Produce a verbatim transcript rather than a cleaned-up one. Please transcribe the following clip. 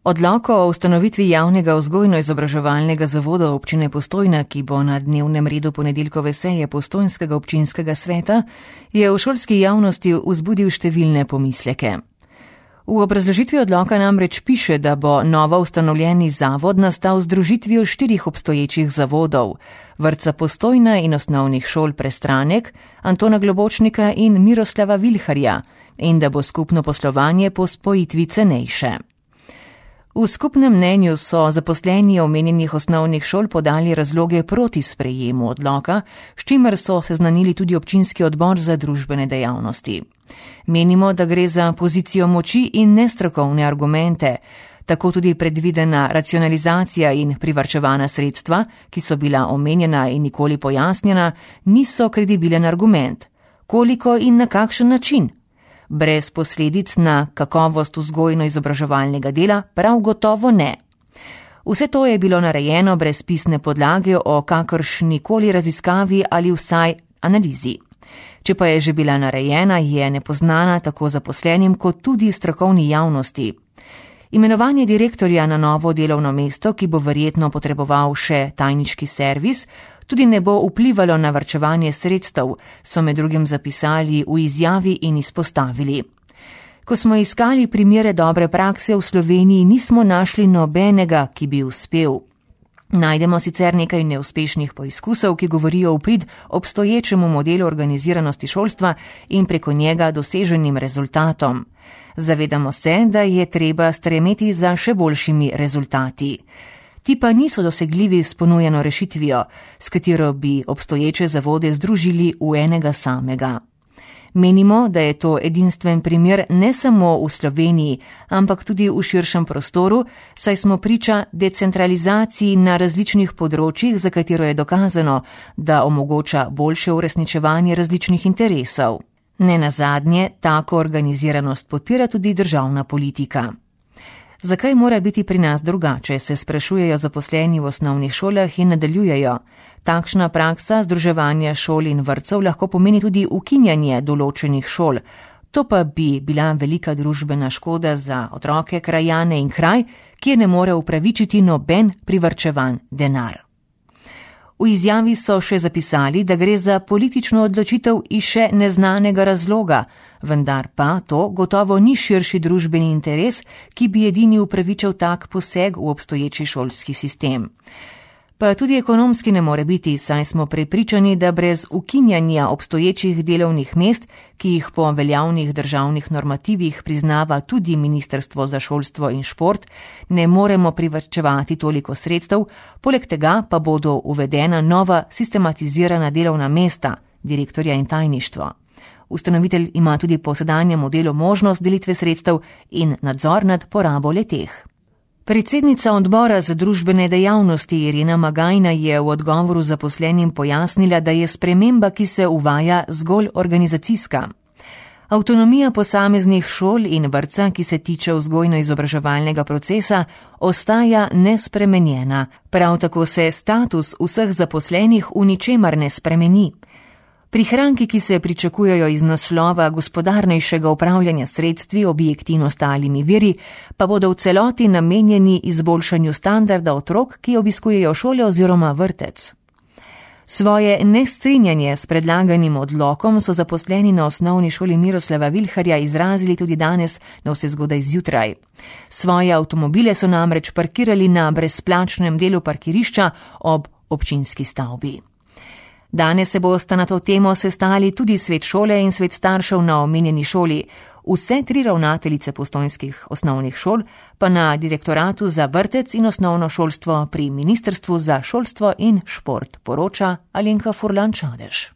Odlok o ustanovitvi javnega vzgojno-izobraževalnega zavoda občine Postojna, ki bo na dnevnem redu ponedeljkove seje Postojnskega občinskega sveta, je v šolski javnosti vzbudil številne pomisleke. V obrazložitvi odloka namreč piše, da bo novo ustanovljeni zavod nastal z združitvijo štirih obstoječih zavodov, vrtca Postojna in osnovnih šol Prestranek, Antona Globočnika in Miroslava Vilharja, in da bo skupno poslovanje po spojitvi cenejše. V skupnem mnenju so zaposleni omenjenih osnovnih šol podali razloge proti sprejemu odloka, s čimer so seznanili tudi občinski odbor za družbene dejavnosti. Menimo, da gre za pozicijo moči in nestrokovne argumente, tako tudi predvidena racionalizacija in privarčevana sredstva, ki so bila omenjena in nikoli pojasnjena, niso kredibilen argument. Koliko in na kakšen način? Brez posledic na kakovost vzgojno-izobraževalnega dela prav gotovo ne. Vse to je bilo narejeno brez pisne podlage o kakršnikoli raziskavi ali vsaj analizi. Če pa je že bila narejena, je nepoznana tako zaposlenim kot tudi strokovni javnosti. Imenovanje direktorja na novo delovno mesto, ki bo verjetno potreboval še tajniški servis, tudi ne bo vplivalo na varčevanje sredstev, so med drugim zapisali v izjavi in izpostavili. Ko smo iskali primere dobre prakse v Sloveniji, nismo našli nobenega, ki bi uspel. Najdemo sicer nekaj neuspešnih poizkusov, ki govorijo v prid obstoječemu modelu organiziranosti šolstva in preko njega doseženim rezultatom. Zavedamo se, da je treba stremeti za še boljšimi rezultati. Ti pa niso dosegljivi s ponujeno rešitvijo, s katero bi obstoječe zavode združili v enega samega. Menimo, da je to edinstven primer ne samo v Sloveniji, ampak tudi v širšem prostoru, saj smo priča decentralizaciji na različnih področjih, za katero je dokazano, da omogoča boljše uresničevanje različnih interesov. Nenazadnje, tako organiziranost podpira tudi državna politika. Zakaj mora biti pri nas drugače, se sprašujejo zaposleni v osnovnih šolah in nadaljujejo. Takšna praksa združevanja šol in vrtcev lahko pomeni tudi ukinjanje določenih šol. To pa bi bila velika družbena škoda za otroke, krajane in kraj, kjer ne more upravičiti noben privarčevan denar. V izjavi so še zapisali, da gre za politično odločitev iz še neznanega razloga, vendar pa to gotovo ni širši družbeni interes, ki bi edini upravičil tak poseg v obstoječi šolski sistem. Pa tudi ekonomski ne more biti, saj smo prepričani, da brez ukinjanja obstoječih delovnih mest, ki jih po veljavnih državnih normativih priznava tudi Ministrstvo za šolstvo in šport, ne moremo privarčevati toliko sredstev, poleg tega pa bodo uvedena nova sistematizirana delovna mesta, direktorja in tajništvo. Ustanovitelj ima tudi po sedanjem modelu možnost delitve sredstev in nadzor nad porabo leteh. Predsednica odbora za družbene dejavnosti Irena Magajna je v odgovoru zaposlenim pojasnila, da je sprememba, ki se uvaja, zgolj organizacijska. Avtonomija posameznih šol in vrtca, ki se tiče vzgojno-izobraževalnega procesa, ostaja nespremenjena. Prav tako se status vseh zaposlenih v ničemer ne spremeni. Prihranki, ki se pričakujejo iz naslova gospodarnejšega upravljanja sredstvi, objekti in ostalimi viri, pa bodo v celoti namenjeni izboljšanju standarda otrok, ki obiskujejo šole oziroma vrtec. Svoje nestrinjanje s predlaganim odlokom so zaposleni na osnovni šoli Miroslava Vilharja izrazili tudi danes na vse zgodaj zjutraj. Svoje avtomobile so namreč parkirali na brezplačnem delu parkirišča ob občinski stavbi. Danes se bosta na to temo sestali tudi svet šole in svet staršev na omenjeni šoli. Vse tri ravnateljice postojnskih osnovnih šol pa na direktoratu za vrtec in osnovno šolstvo pri Ministrstvu za šolstvo in šport, poroča Alenka Furlan Čadež.